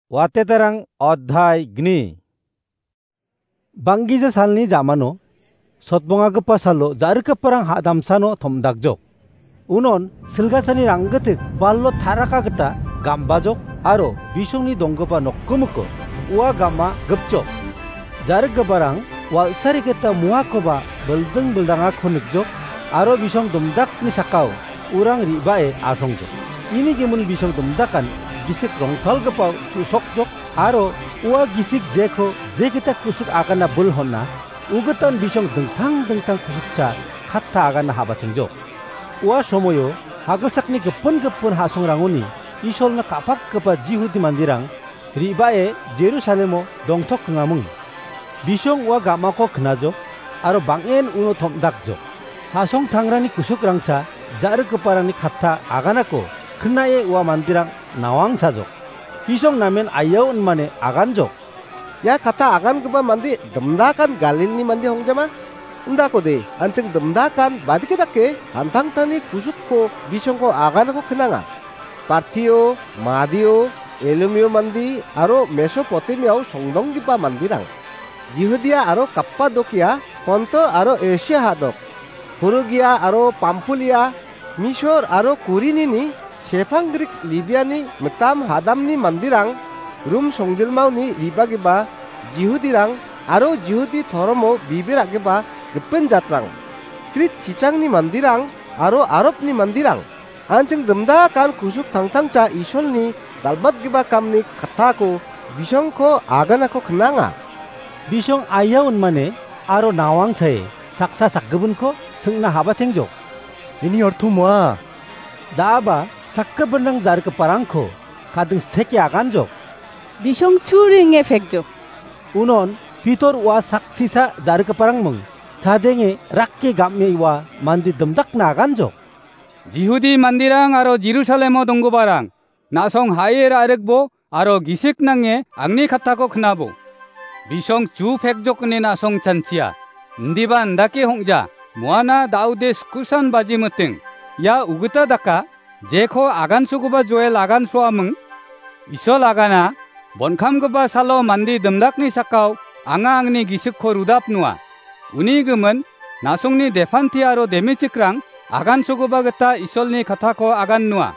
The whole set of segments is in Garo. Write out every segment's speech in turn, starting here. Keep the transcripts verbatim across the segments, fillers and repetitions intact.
Watetarang odhai gni. Banggija salni jamano, sotbongagipa salo ja·rikgiparang ha·damsano tom·dakjok. Unon silgasani ranggitik ballo taraka gita gambajok aro bisongni donggipa nokgimiko ua gama gipjok. Ja·rikgiparang wal·sari gita muakoba bilding bildangako nikjok aro bisong domdakni sakao urang re·bae asongjok. Ini gimin bisong domdakan gisik rongtalgipa ku·sokjok aro ua gisik jeko je gita ku·sik agana bil hon·a, ugitan bisong dingtang dingtang ku·sukcha katta agana ha·bachengjok. Ua somoio hagilsakni gipin gipin ha·songrangoni Isolna ka·pakgipa Jihudi manderang re·bae Jerusalemo dongtokkengaming. Bisong ua gamako knajok aro bang·en uno tom·dakjok. Ha·songtangrangni ku·sukrangcha ja·rikgiparangni katta aganako knae ua manderang nawangchajok. Bisong namen aiao inmane aganjok. Ia katta agangipa mande dimdakan Galilni mande hongjama? Indakode, an·ching dimdakan badike dake an·tangtangni ku·sukko bisongko aganako knanga. Partio, Madio, Elumio mande aro Mesopotamiao songdonggipa manderang. Jihudia aro Kapadokia, Ponto aro Esia ha·dok. Purugia aro Pampulia, Misor aro Kurinini, sepang Grik Libiani mitam hadamni manderang, Rum songjilmaoni ribagipa Jihudirang aro Jihudi toromo bibir a·gipa gipin jatrang, Krit chichangni manderang aro Arabni manderang, an·ching dimdakan ku·suk tangtangcha Isolni dal·batgipa kamni kattako bisongko aganako knanga. Bisong aiao inmane aro nawangchae saksa sakgipinko singna ha·bachengjok. Ini orto moa? Da·aba sakgipinrang ja·rikgiparangko kading steke aganjok. Bisong chu ringe pekjok. Unon Pitor ua sakchisa ja·rikgiparangming chadenge rake gam·e ua mande dimdakna aganjok. Jihudi manderang aro Jerusalemo donggiparang, na·song ha·e ra·rikbo aro gisik nange angni kattako knabo. Bisong chu pekjok ine na·song chanchia. Indiba indake hong·ja, moana Daude skusan baji miting. Ia ugita daka, jeko agansogipa Joel agansoaming. Isol agana, bonkamgipa salo mande dimdakni sakao anga angni gisikko rudapnoa. Uni gimin, na·songni depanti aro demichikrang agansogipa gita Isolni kattako agannoa.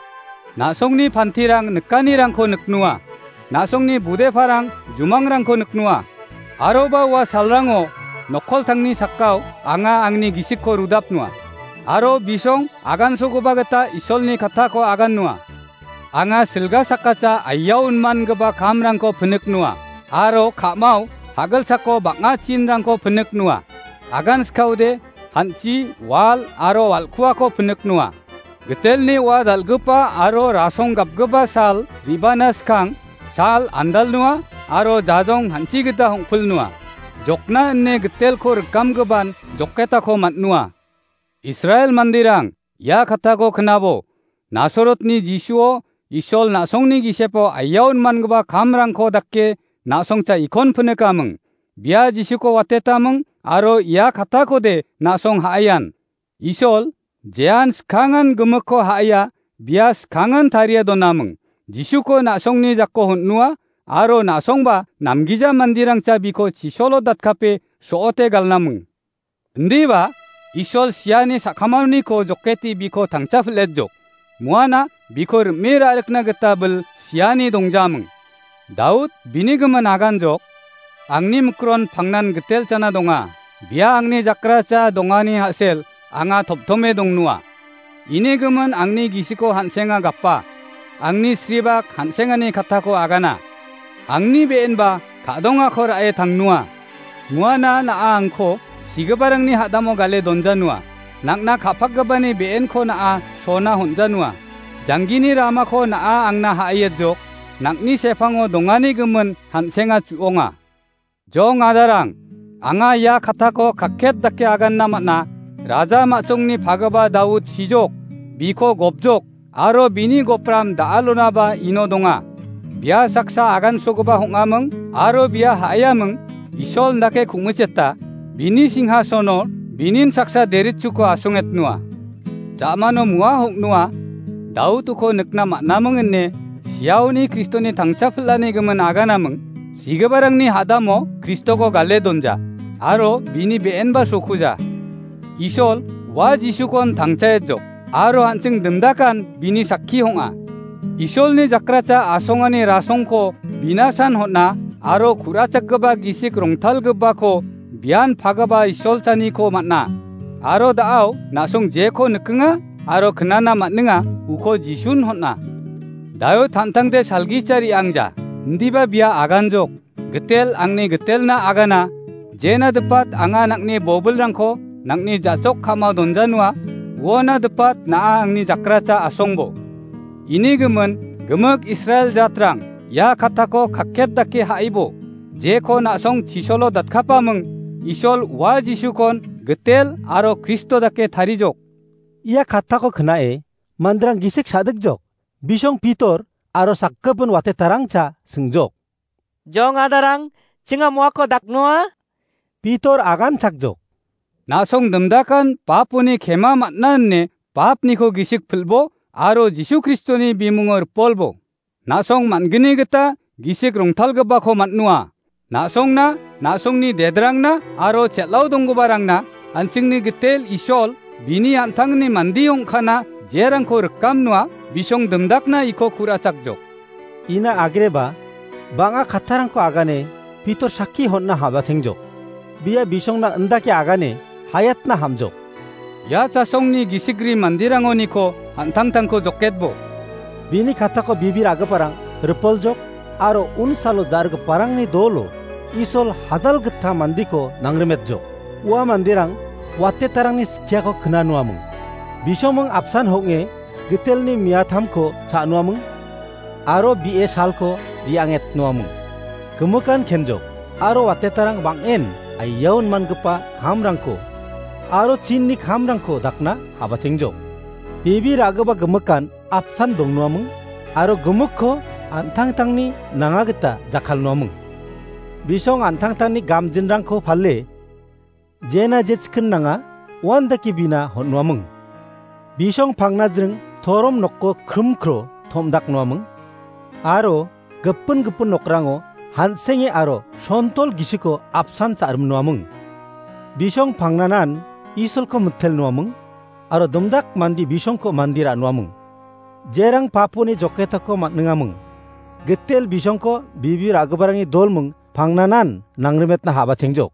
Na·songni pantirang nikanirangko niknoa. Na·songni budeparang jumangrangko niknoa. Aroba ua salrango nokkoltangni sakao anga angni gisikko rudapnoa. Aro bisong agansogipa gita Isolni kattako agannoa. Anga silga sakkacha aiao inmangipa kamrangko piniknoa, aro ka·mao hagilsako bang·a chinrangko piniknoa. Agan skaode, han·chi, wal aro wal·kuako piniknoa. Gitelni ua dal·gipa aro rasong gapgipa sal re·bana skang, sal andalnoa aro jajong han·chi gita hong·pilnoa. Jokna ine gitelko rikamgipan joketako man·noa. Israel manderang, ia kattako knabo, Nasarotni Jisuo, Isol na·songni gisepo aiao inmangipa kamrangko dake na·songcha ikon pinikaming. Bia Jisuko watetaming aro ia kattakode na·song ha·aian. Isol, jean skangan gimikko ha·aia, bia skangan tarie donaming. Jisuko na·songni jako hon·noa aro na·songba namgija manderangcha biko chisolo datkape so·ote galnaming. Indiba, Isol siani sakamaoniko joketi biko tangcha pil·etjok. Muana biko rim·e ra·rikna gita bil siani dongjaming. Daud bini gimin aganjok, "Angni mikron pangnan gitel chana donga. Bia angni jakracha dongani ha·sel anga toptome dongnoa. Ini gimin angni gisiko han·senga gapa, angni sribak han·sengani kattako agana. Angni be·enba ka·dongako ra·e tangnoa. Muana na·a angko sigiparangni ha·damo gale donjanoa. Nang·na ka·pakgipani be·enko na·a sona honjanoa. Janggini ramako na·a angna ha·aietjok, nang·ni sepango dongani gimin han·senga chu·onga." Jong adarang, anga ia kattako kakket dake aganna man·a, raja ma·chongni pagipa Daud sijok, biko gopjok, aro bini gopram da·alonaba ino donga. Bia saksa agansogipa hong·aming aro bia ha·aiaming, Isol indake ku·micheta, bini singhasono binin saksa deritchuko asongetnoa. Ja·mano mua hong·noa, Daud uko nikna man·aming ine Iaoni Kristoni tangcha pil·ani gimin aganaming, sigiparangni hadamo Kristoko gale donja, aro bini be·enba sokuja. Isol, ua Jisukon tangchaetjok, aro an·ching dimdakan bini sakki ong·a. Isolni jakracha asongani rasongko binasan hon·a, aro ku·rachakgipa gisik rongtalgipako bian pagipa Isolchaniko man·a. Aro da·ao na·song jeko nikenga aro knana man·enga, uko Jisun hon·a. Daio tan·tangde salgicha re·angja, indiba bia aganjok, gitel angni gitelna agana, jena dipat anga nang·ni bobilrangko nang·ni ja·chok ka·mao donjanua, uona dipat na·a angni jakracha asongbo. Ini gimin, gimik Israel jatrang, ia katako kakket dake ha·ibo, jeko na·song chisolo datkapaming, Isol ua Jisukon gitel aro Kristo dake tarijok. Ia katako knae, manderang gisik sa·dikjok, bisong Pitor aro sakgipin watetarangcha singjok. Jong adarang, chinga moako daknoa? Pitor aganchakjok. Na·song dimdakan paponi kema man·a ine papniko gisik pil·bo aro Jisu Kristoni bimungo ripolbo. Na·song man·gni gita gisik rongtalgipako man·noa. Na·songna, na·songni dedrangna aro chel·ao donggiparangna an·chingni gitel Isol, bini an·tangni mande ong·kana jerangko rikamnoa, bisong dimdakna iko ku·rachakjok. Ina agreba, bang·a kattarangko agane Pitor sakki hon·na habachengjok. Bia bisongna indake agane hayatna hamjok. Ia chasongni gisikri manderangoniko an·tangtangko joketbo. Bini katako bibir agiparang ripoljok aro unsalo jargiparangni dolo Isol hajal gita mandeko nangrimetjok. Ua manderang watetarangni skiako knanoaming. Bisoming apsan hong·e gitelni miatamko cha·noaming, aro bi·e salko re·angetnoaming. Gimikan kenjok, aro watetarang bang·en aiaon mangipa kamrangko, aro chinni kamrangko dakna habachengjok. Bebe ra·gipa gimikan apsan dongnoaming, aro gimikko an·tangtangni nanga gita jakkalnoaming. Bisong an·tangtangni gamjinrangko pale, jena je chikin nanga, uandake bina hon·noaming. Bisong pangnajring torom nokko krimkro tom·daknoaming, aro gipin gipin nokrango han·senge aro sontol gisiko apsan cha·rimnoaming. Bisong pangnanan Isolko mitelnoaming, aro dimdak mande bisongko mande ra·noaming. Jerang paponi joketako man·ningaming. Gitel bisongko bebe ra·giparangni dolming pangnanan nangrimetna habachengjok.